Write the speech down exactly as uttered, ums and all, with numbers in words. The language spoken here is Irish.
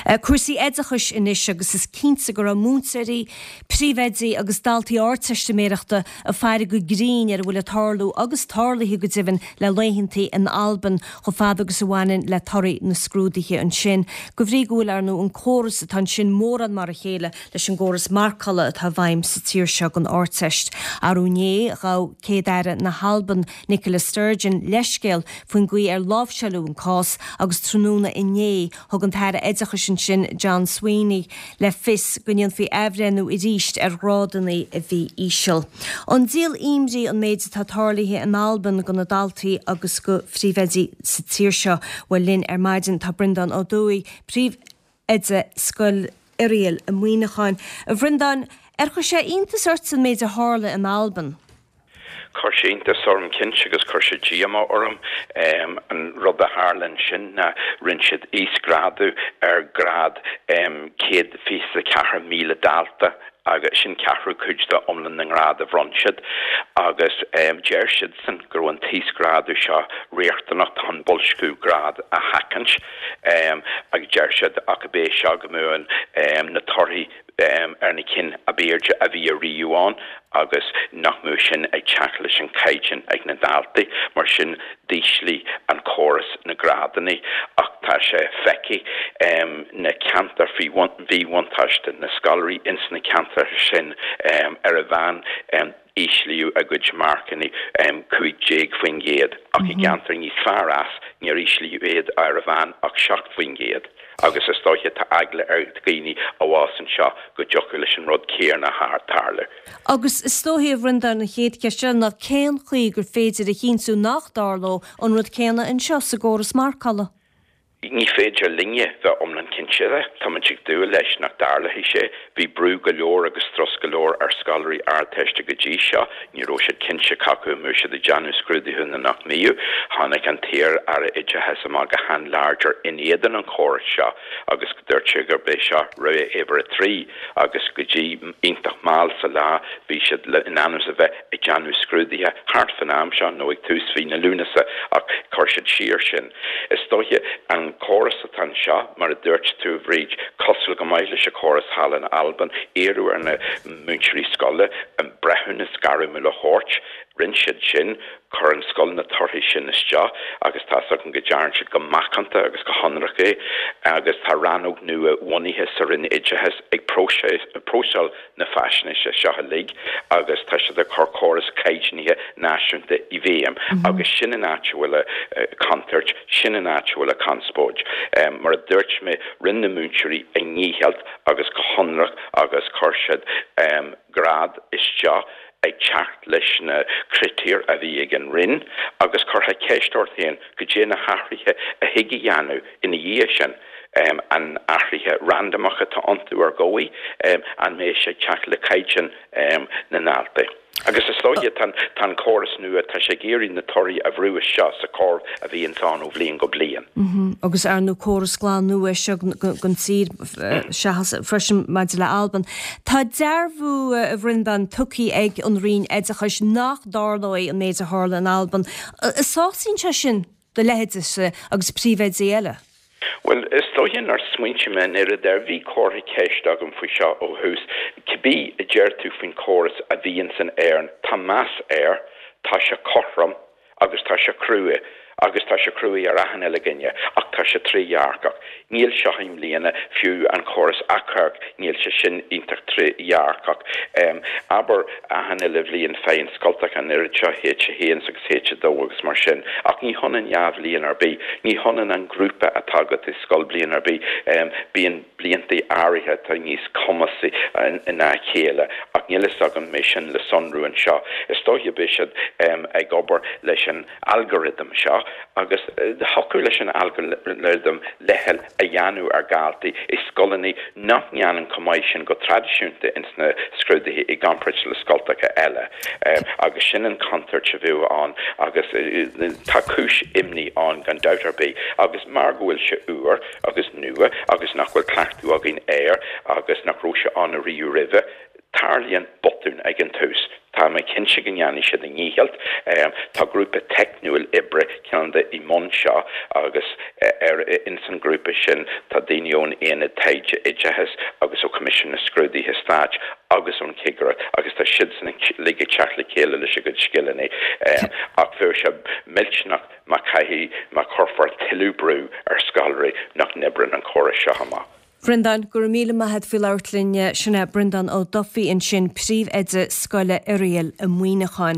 Cúrsaí oideachais anois agus is cinnte go raibh múinteoirí, príomhoidí agus daltaí Ardteistiméireachta ag faire go grinn ar a bhfuil ag tarlú agus tarlaithe go deimhin le laethantaí in Albain chomh fada agus a bhaineann le torthaí na scrúduithe ansin. De bhrí go bhfuil ar ndóigh an córas atá ansin mórán mar a chéile leis an gcóras marcála atá i bhfeidhm sa tír seo don Ardteist. Arú inné ghabh Céad-Aire na hAlban Nicola Sturgeon leithscéal faoin gcaoi ar láimhseáladh an cás agus tráthnóna inné thug an tAire Oideachais ansin John Swinney le fios go ndéanfaí athbhreithniú arís ar ghrádanna a bhí íseal. An díol imní an méid atá tarlaithe in Albain do na daltaí agus do phríomhoidí sa tír seo bhuel linn ar maidin tá Breandán Ó Dúill, príomhoide Scoil Oiriall i Muineachán. A Bhreandáin, ar chuir sé iontas ort an méid a tharla in Albain? Chuir sé iontas orm cinnte agus chuir sé díomá orm an rud a tharla ansin ná rinne siad íosghrádú ar ghrád céad fiche ceathair míle dalta agus sin ceathrú cuid de iomlán na ngrád a bhronn siad agus deir siadsan go raibh an t-íosghrádú seo riachtanach chun boilsciú grád a sheachaint agus deir siad ach ab é seo go mbeadh na torthaí ar na cinn ab airde a bhí ariamh ann agus nach mbeadh sin ag teacht leis an caighdeán ag na daltaí mar sin d'ísligh an córas na grádanna ach tá sé feicthe na ceantair faoi mhíbhuntáiste na scoláirí ins na ceantair sin ar a mheán íslíodh a gcuid marcanna cúig déag faoin gcéad ach i gceantar níos fearr as níor íslíodh iad ar a mheán ach seacht faoin gcéad agus is dóiche tá eagla ar dhaoine a bhás anseo go dtiocfadh leis an rud céanna tarlú. Agus is dóiche a Bhreandáin an chéad cheist ná cén chaoi gur féidir a chinntiú nach dtarlódh an rud céanna anseo sa gcóras marcála. Ní féidir linne bheith iomlán cinnte de, Táimid ag dúil leis nach dtarlóidh sé, bhí brú go leor agus strus go leor ar scoláirí Ardteiste go dtí seo, ní raibh siad cinnte cé acu an mbeadh siad ag déanamh scrúduithe nó nach mbeadh. Tháinig an t-iar-aire oideachais amach go han-láidir in éadan an chórais seo agus dúirt sé gurb é seo rogha uimhir a trí agus go dtí iontach mall sa lá bhí siad in ainm a bheith ag déanamh scrúduithe thart fan am seo nó ag tús mhí na Lúnasa ach chuir siad siar sin. Is dóiche an córas atá anseo mar a dúirt tú Bhríd cosúil go maith leis an chóras thall in Albain iarradh ar na múinteoirí scoile an breithiúnas gairmiúil a thabhairt, rinne siad sin chuir an scoil na torthaí sin isteach agus tá an go dearn siad go macánta agus go hionraic é agus tá rannóg nua bunaithe sa Roinn Oideachais ag próiseáil na faisnéise seo uilig agus tá siad ag cur córas caighdeánaithe náisiúnta i bhfeidhm agus sin an áit a bhfuil contúirt sin an áit a bhfuil a conspóid. Um, mar a dúirt mé rinne na múinteoirí a ndícheall agus go hionraic agus chuir siad um, grád isteach ag teacht leis na critéir a bhí ag an Roinn agus curtha ceist ort féin go dté na hathruithe a thig a dhéanamh ina dhiaidh sin. Um, an athruithe randamach atá iontu ar dhóigh um, an mbeidh sé teacht le caighdeán um, na ndaltaí. Agus is dóiche tá an córas nua tá sé ag iarraidh na torthaí a bhrú isteach sa chóras a bhíonn ann ó bhliain go bliain. Mm -hmm. Agus ar ndóigh córas glan nua seo don tír seachas freisin maidir le Albain. Tá dearbhú a Bhreandáin tugtha ag an Roinn Oideachais nach dtarlóidh an méid a tharla in Albain. Sásaíonn sé sin do leithéidese agus príomhoidí eile. Well is dóiche nár smaointigh mé an oiread air bhí comhartha ceist agam faoi seo ó thús, cibé a deir tú faoin chóras a bhíonn san Éirinn, tá meas air, tá sé cothrom agus tá sé crua agus tá sé crua ar achan uile dhuine ach tá sé trédhearcach. Níl seo i mbliana fiú an córas achomhairc níl sé sin iontach trédhearcach. Um, aber achan uile bhliain faigheann scoltacha an oiread seo H a haon agus H a dó agus mar sin, ach ní hionann dhá bhliain ar bith, ní hionann an grúpa atá agat i scoil bliain ar bith um, bíonn blianta áirithe atá níos cumasaí ná a chéile ach níl fhios agam mé sin le sonrú anseo. Is dóiche beidh siad um, ag obair leis an algorithm seo agus thiocfadh leis an algorithm leithcheal a dhéanamh ar dhaltaí i scoileanna nach ndéanann chomh maith sin go traidisiúnta ins na scrúduithe i gcomparáid le scoltacha eile. Um, agus sin an chontúirt a bheadh ann agus uh, tá cúis imní ann gan dabht ar bith agus mar go bhfuil sé úr agus nua agus nach bhfuil cleachtadh againn air agus nach raibh sé ann ariamh roimhe, tarlaíonn botún ag an tús. Tá mé cinnte go ndéanfaidh siad a ndícheall. Tá grúpa teicniúil oibre ceann de i mbun seo agus ar ins an grúpa sin tá daoine ón Aonad Taighde Oideachais agus ó Choimisiún na Scrúduithe Stáit agus ón Chigireacht agus tá siadsan uilig ag teacht le chéile leis a gcuid scileanna ach bheadh sé millteanach má chaithfidh má chuirfear tuilleadh brú ar scoláirí nach n-oibreann an córas seo amach. Breandán go raibh míle maith agat faoi labhairt linn sin é Breandán Ó Dufaigh ansin príomhoide scoile Oiriall i Muineachán.